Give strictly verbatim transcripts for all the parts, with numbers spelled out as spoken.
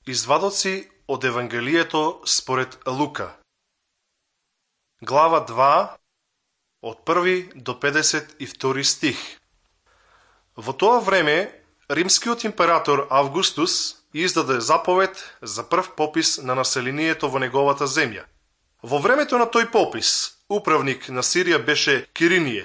Извадоци од Евангелието според Лука. Глава два, од први до педесет и втори стих. Во тоа време, римскиот император Августус издаде заповед за прв попис на населението во неговата земја. Во времето на тој попис, управник на Сирија беше Киринije.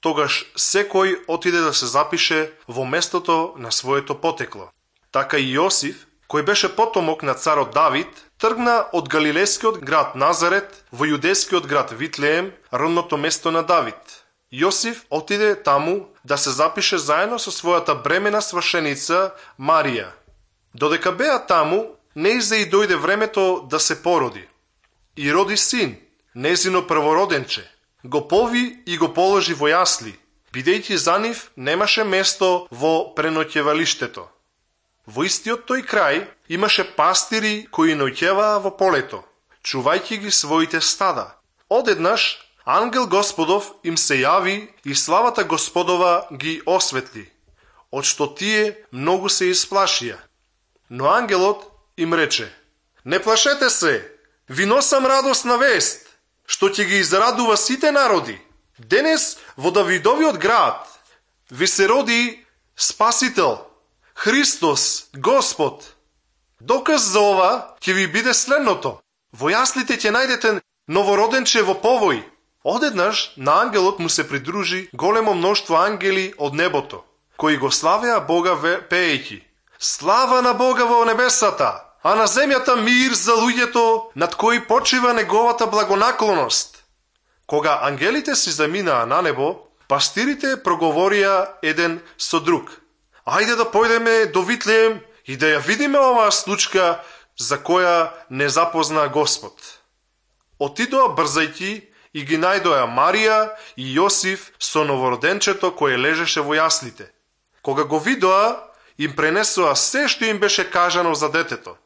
Тогаш секој отиде да се запише во местото на своето потекло. Така и Јосиф, кој беше потомок на царот Давид, тргна од галилејскиот град Назарет во јудејскиот град Витлеем, родното место на Давид. Јосиф отиде таму да се запише заедно со својата бремена свршеница Марија. Додека беа таму, нејзе и дојде времето да се породи. И роди син, незино првороденче. Го пови и го положи во јасли, бидејќи за нив немаше место во преноќевалиштето. Во истиот тој крај имаше пастири кои ноќеваа во полето, чувајќи ги своите стада. Одеднаш ангел Господов им се јави и славата Господова ги осветли, од што тие многу се исплашија. Но ангелот им рече: не плашете се, ви носам радосна вест, што ќе ги израдува сите народи. Денес во Давидовиот град ви се роди Спасител, Христос, Господ. Доказ за ова ќе ви биде следното: во јаслите ќе најдете новороденче во повој. Одеднаш на ангелот му се придружи големо мноштво ангели од небото, кои го славеа Бога пеејќи: слава на Бога во небесата, а на земјата мир за луѓето над кои почива неговата благонаклоност. Кога ангелите си заминаа на небо, пастирите проговорија еден со друг: ајде да појдеме до Витлеем и да ја видиме оваа случка за која не запозна Господ. Отидоа брзајќи и ги најдоа Марија и Јосиф со новороденчето кое лежеше во јаслите. Кога го видоа, им пренесоа се што им беше кажано за детето.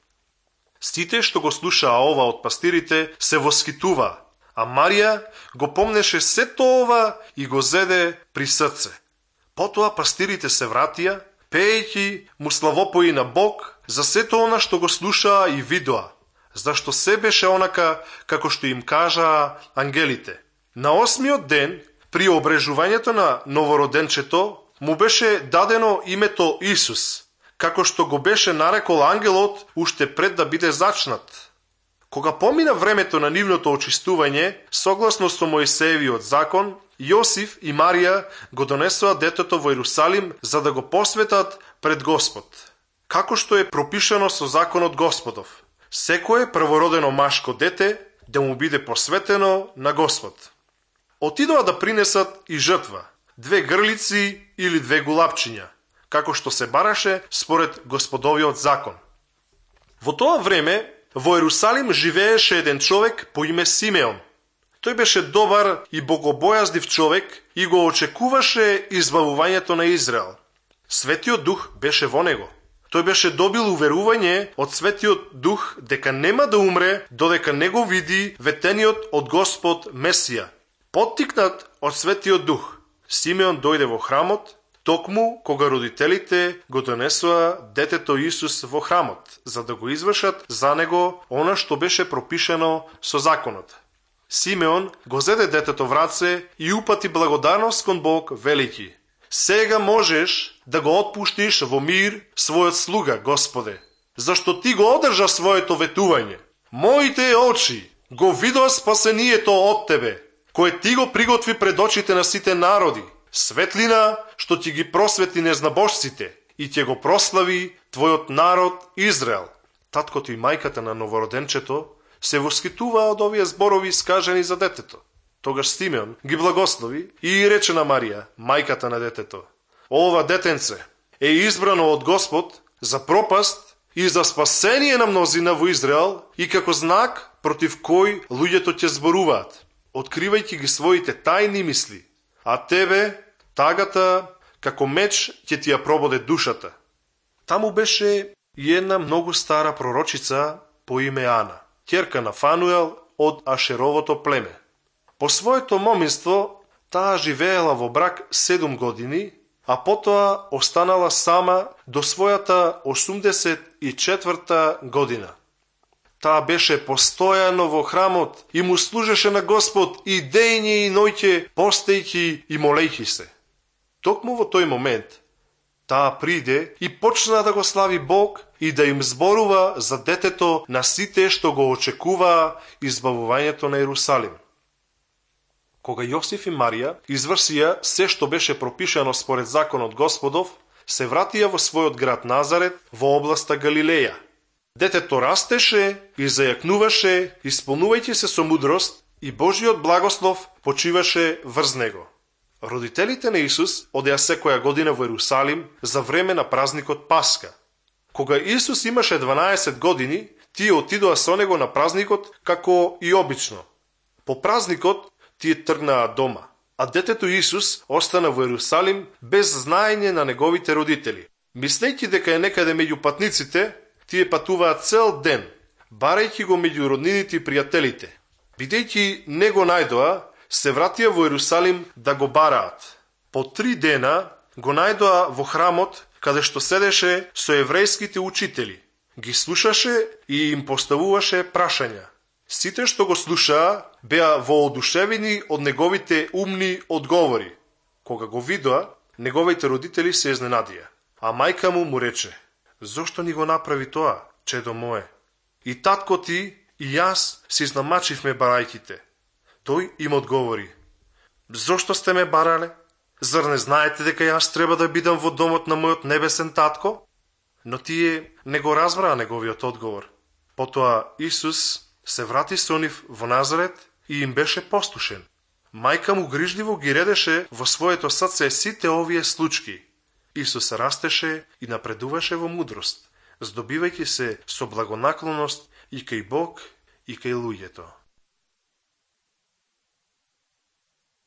Сите што го слушаа ова од пастирите се воскитуваа, а Марија го помнеше сето ова и го зеде при срце. Потоа пастирите се вратија, пеејќи му славопои на Бог за сето она што го слушаа и видоа, зашто се беше онака како што им кажаа ангелите. На осмиот ден, при обрежувањето на новороденчето, му беше дадено името Исус, како што го беше нарекол ангелот уште пред да биде зачнат. Кога помина времето на нивното очистување, согласно со Мојсеевиот закон, Јосиф и Марија го донесоа детето во Ерусалим за да го посветат пред Господ, како што е пропишано со законот Господов. Секое првородено машко дете да му биде посветено на Господ. Отидоа да принесат и жртва, две грлици или две гулапчиња, како што се бараше според Господовиот закон. Во тоа време во Ерусалим живееше еден човек по име Симеон. Тој беше добар и богобојазлив човек и го очекуваше избавувањето на Израел. Светиот Дух беше во него. Тој беше добил уверување од Светиот Дух дека нема да умре додека не го види ветениот од Господ Месија. Поттикнат од Светиот Дух, Симеон дојде во храмот, токму кога родителите го донесоа детето Исус во храмот, за да го извршат за него она што беше пропишано со законот. Симеон го зеде детето в раце и упати благодарност кон Бог, велики: сега можеш да го отпуштиш во мир својот слуга, Господе, зашто ти го одржа своето ветување. Моите очи го видоа спасението од тебе, кое ти го приготви пред очите на сите народи, светлина што ти ги просветли незнабожците и ќе го прослави твојот народ Израел. Таткото и мајката на новороденчето се воскитуваа од овие зборови искажани за детето. Тогаш Симеон ги благослови и рече на Марија, мајката на детето: ова детенце е избрано од Господ за пропаст и за спасение на мнозина во Израел и како знак против кој луѓето ќе зборуваат, откривајќи ги своите тајни мисли, а тебе тагата како меч ќе ти ја прободе душата. Таму беше и една многу стара пророчица по име Ана, ќерка на Фануел од Ашеровото племе. По своето моминство таа живеела во брак седум години, а потоа останала сама до својата осумдесет и четврта година. Таа беше постојано во храмот и му служеше на Господ и дејње и ноќе, постејќи и молејќи се. Токму во тој момент, таа приде и почна да го слави Бог и да им зборува за детето на сите што го очекуваа избавувањето на Ерусалим. Кога Јосиф и Марија извршија се што беше пропишано според законот Господов, се вратија во својот град Назарет во областа Галилеја. Детето растеше и зајакнуваше, исполнувајќи се со мудрост, и Божиот благослов почиваше врз него. Родителите на Исус одеа секоја година во Ерусалим за време на празникот Пасха. Кога Исус имаше дванаесет години, тие отидоа со него на празникот како и обично. По празникот тие тргнаа дома, а детето Исус остана во Ерусалим без знаење на неговите родители. Мислејќи дека е некаде меѓу патниците, тие патуваат цел ден, барајќи го меѓу роднините и пријателите. Бидејќи не го најдоа, се вратија во Ерусалим да го бараат. По три дена го најдоа во храмот, каде што седеше со еврејските учители. Ги слушаше и им поставуваше прашања. Сите што го слушаа беа воодушевени од неговите умни одговори. Кога го видоа, неговите родители се изненадија. А мајка му му рече: "Зошто ни го направи тоа, чедо мое? И татко ти и јас се изнамачивме барајките." Тој им одговори: "Зошто сте ме барале? Зар не знаете дека јас треба да бидам во домот на мојот небесен татко?" Но тие не го разбраа неговиот одговор. Потоа Исус се врати со нив во Назарет и им беше послушен. Мајка му грижливо ги редеше во своето срце сите овие случаи. Исус растеше и напредуваше во мудрост, здобивајќи се со благонаклоност и кај Бог и кај луѓето.